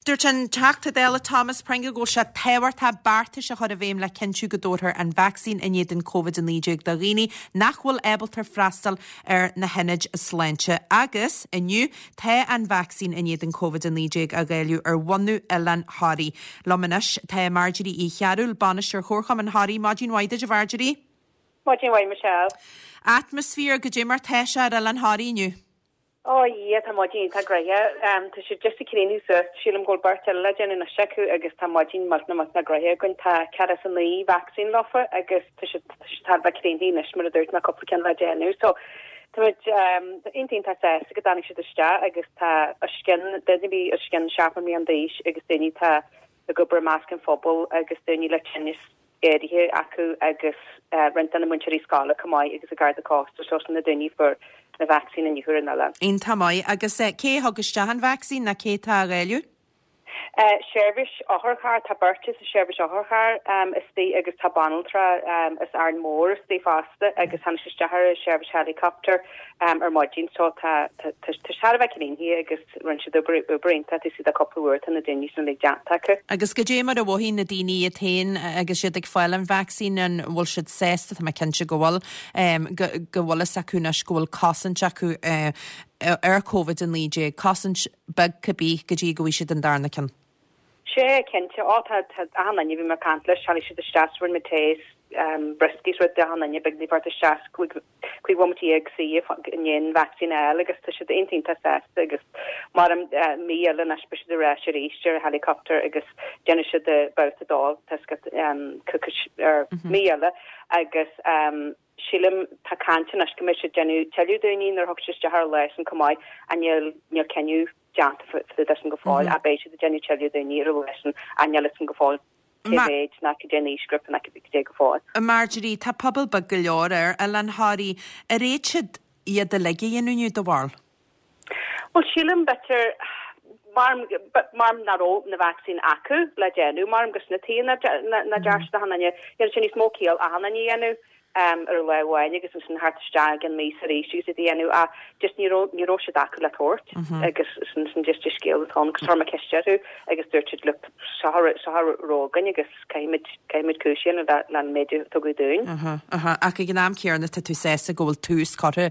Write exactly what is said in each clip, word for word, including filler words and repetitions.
Dúirt an Teachta Dála Thomas Pringle go bhfuil sé tábhachtach beartais a chur i bhfeidhm le cinntiú go dtabharfar an vacsaín in éadan Covid a naoi déag do dhaoine nach bhfuil ábalta freastal ar na hionaid sláinte. Agus inniu tá an vacsaín in éadan Covid a naoi déag á dháileadh ar bhunadh Oileán Thoraí. Liom anois tá Marjorie Uí Chearúil, Bainisteoir Chomharchumann Thoraí. Maidin mhaith duit, a Mharjorie. Maidin mhaith, Michelle. Atmaisféar goidé mar tá sé ar Oileán Thoraí inniu. Ó yeah, tá maidin iontach gnoitheach. Tá siad just ag críochnú suas, sílim go bhfuil beirt eile le déanamh anois acu agus tá maidin millteanach millteanach gnoitheach againn. Tá ceathracha is a naoi vacsaín leofa agus tá siad tá siad thar a bheith críochnaithe anois mar a dúirt mé cúpla ceann le déanamh. So tá muid iontach iontach sásta go dtáinig siad isteach agus tá os cionn daoine a bhí os cionn seachtó mbliana d'aois agus daoine atá ag obair i measc an phobail agus daoine le tinneas áirithe acu agus roinnt de na múinteoirí scoile chomh maith agus an Garda Cósta so sin na daoine a fuair na vacsaín inniu ar an oileán. Iontach maith. Agus cé a thug isteach an vacsaín nó cé atá á dháileadh? Seirbhís otharcharr, tá beirt sa seirbhís otharcharr istigh agus tá banaltra as Árainn Mhór istigh fosta agus tháinig sé isteach ar an seirbhís helicopter ar maidin so tá tá tá sé thar a bheith críochnaithe agus rinne siad obair obair iontach taobh istigh de cúpla uair tá na daoine sin uilig déanta acu. Agus goidé mar a mhothaíonn na daoine iad féin agus siad ag fáil an vacsaín an bhfuil siad sásta, tá mé cinnte go bhfuil, go go bhfuil fhios acu anois go bhfuil cosaint acu ar Covid a naoi déag, cosaint beag cibé go dtí go bhfaighidh siad an darna ceann. Sea, cinnte. Ó, tá, tá achan duine, bhí mé ag caint leis, tháinig siad isteach, rinne muid tae is brioscaí is rud d'achan duine, beidh daoine thart isteach cúig, cúig bhomaite dhéag suí i ndiaidh an vacsaín a fháil agus tá siad iontach iontach sásta agus mar mí eile anois beidh siad ar ais arís ar helicopter agus déanfaidh siad babhta dó, tá ar mí eile agus sílim tá caint anois go mbeidh siad ag déanamh tuilleadh daoine nuair a thiocfaidh siad isteach ar an lá sin chomh maith ach níl níl cinneadh déanta fá dtaobh de sin go fóill ach beidh siad ag déanamh tuilleadh daoine ar an lá sin ach níl fhios agam go fóill cé mhéid ná cad é an aoisghrúpa ná cad é go fóill. Marjorie, tá pobal beag go leor ar Oileán Thoraí. Ar fhéad siad iad uilig a dhéanamh inniu, do bharúil? Bhuel, sílim, b'fhéidir, mar, mar nach raibh na vacsaín acu le déanamh, mar gur sin an tuige nach ndearna siad achan duine, dhéanfadh sé níos mó ciall achan duine a dhéanamh ar lá amháin agus ansin theacht isteach i gcionn míosa arís agus iad a dhéanamh ach just ní raibh, ní raibh siad acu le tabhairt agus sin, sin just an scéal atá ann agus chuir mé ceist orthu agus dúirt siad look, seo a raibh, seo a raibh againn agus caithfimid, caithfimid cúis a dhéanamh le, le an méid a tugadh dúinn. Aha, aha. Ach ag an am céanna tá tú sásta go bhfuil tús curtha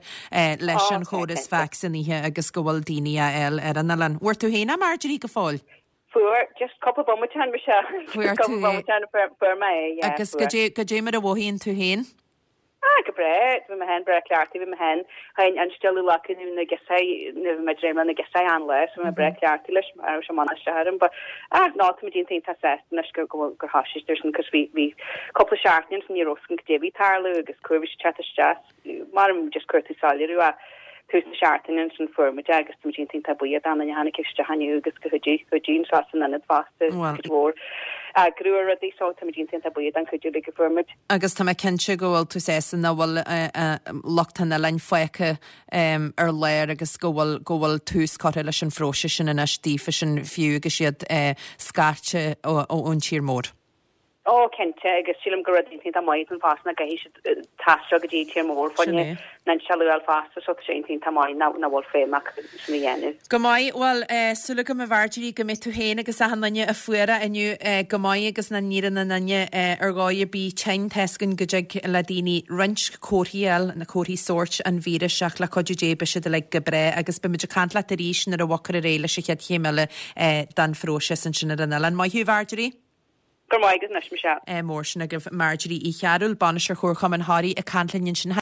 leis an chóras vacsaínithe agus go bhfuil daoine á fháil ar an oileán. Bhfuair tú féin é, Marjorie, go fóill? Fuair, just cúpla bomaite ó shin, Michelle. Fuair tú Cúpla é. bomaite ó shin, fuair, fuair mé é, yeah, Agus fuair. goidé, goidé mar a mhothaíonn tú féin? Ah, go breá, bhí mé féin breá cleachtaithe, bhí mé féin, féin instealladh lacu na giosáí, nó bhí mé dréim na giosáí an lá, so bhí mé breá cleachtaithe leis, mar raibh sé mana isteach orm, but, ah, no, tá muid iontach iontach sásta anois go, go bhfuil, gur thosaigh siad ar sin, cos bhí, bhí cúpla seachtain ansin ní raibh fhios againn goidé a bhí ag tarlú agus cá huair a bhí siad teacht isteach, mar just cuir tú soiléiriú ach tús na seachtaine ansin fuair muid é agus tá muid iontach iontach buíoch d'aon duine a tháinig isteach inniu agus go chuidigh chuidigh anseo san ionad fosta cuid mhór eagrú ar rudaí so tá muid iontach iontach buíoch don chuidiú uilig a fuair muid. Agus tá mé cinnte go bhfuil tú sásta nach bhfuil lucht an oileáin fágtha ar lár agus go bhfuil go bhfuil tús curtha leis an phróiseas sin anois daofa sin fiú agus iad scairte ón tír mór. Ó, cinnte, agus sílim gur rud iontach maith an fosta nach gcaithfidh siad taisteal go dtí tír mór fá choinne Sin é. an instealladh a fháil fosta, so tá sé iontach iontach maith nach nach bhfuil feidhm acu sin a dhéanamh. Go maith, bhuel, súil agam a Mharjorie go mbeidh tú féin agus achan duine a fuair é inniu go maith agus nach n-éireoidh aon duine ar dhóigh ar bith tinn. Tá's againn go dtig le daoine roinnt comharthaí a fháil, na comharthaí sóirt an víris ach le cuidiú Dé beidh siad uilig go breá agus beidh muid ag caint leat arís nuair a bhogfar ar aghaidh leis an chéad chéim eile den phróiseas ansin ar an oileán. Maith thú, a Mharjorie. Go raibh maith agat anois, Michelle. Mór sin agaibh Marjorie Uí Chearúil, Bainisteoir Chomharchumann Thoraí ag caint linn ansin.